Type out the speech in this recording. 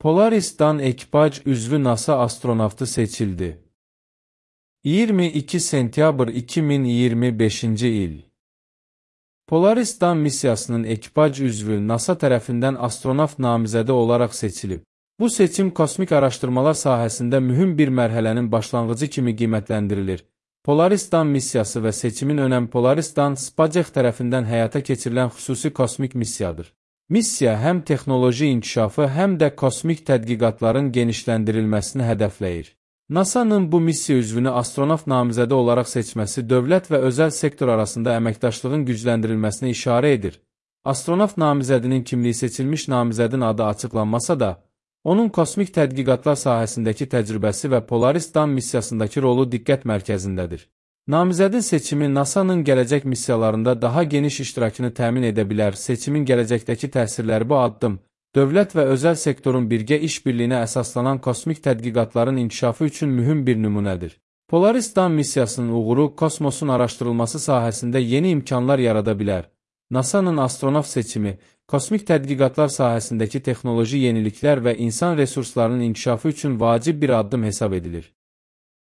Polaris-Dan ekipaj üzvü NASA astronavtı seçildi. 22 sentyabr 2025-ci il. Polaris-Dan missiyasının ekipaj üzvü NASA tərəfindən astronavt namizədi olaraq seçilib. Bu seçim kosmik araşdırmalar sahəsində mühüm bir mərhələnin başlanğıcı kimi qiymətləndirilir. Polaris-Dan missiyası və seçimin önəmi Polaris-Dan SpaceX tərəfindən həyata keçirilən xüsusi kosmik missiyadır. Missiya həm texnoloji inkişafı, həm də kosmik tədqiqatların genişləndirilməsini hədəfləyir. NASA-nın bu missiya üzvünü astronavt namizədi olaraq seçməsi dövlət və özəl sektor arasında əməkdaşlığın gücləndirilməsinə işarə edir. Astronavt namizədinin kimliyi seçilmiş namizədin adı açıqlanmasa da, onun kosmik tədqiqatlar sahəsindəki təcrübəsi və Polaris-Dan missiyasındakı rolu diqqət mərkəzindədir. Namizədin seçimi NASA-nın gələcək missiyalarında daha geniş iştirakını təmin edə bilər. Seçimin gələcəkdəki təsirləri bu addım, dövlət və özəl sektorun birgə işbirliyinə əsaslanan kosmik tədqiqatların inkişafı üçün mühüm bir nümunədir. Polaris-Dan missiyasının uğuru kosmosun araşdırılması sahəsində yeni imkanlar yarada bilər. NASA-nın astronavt seçimi, kosmik tədqiqatlar sahəsindəki texnoloji yeniliklər və insan resurslarının inkişafı üçün vacib bir addım hesab edilir.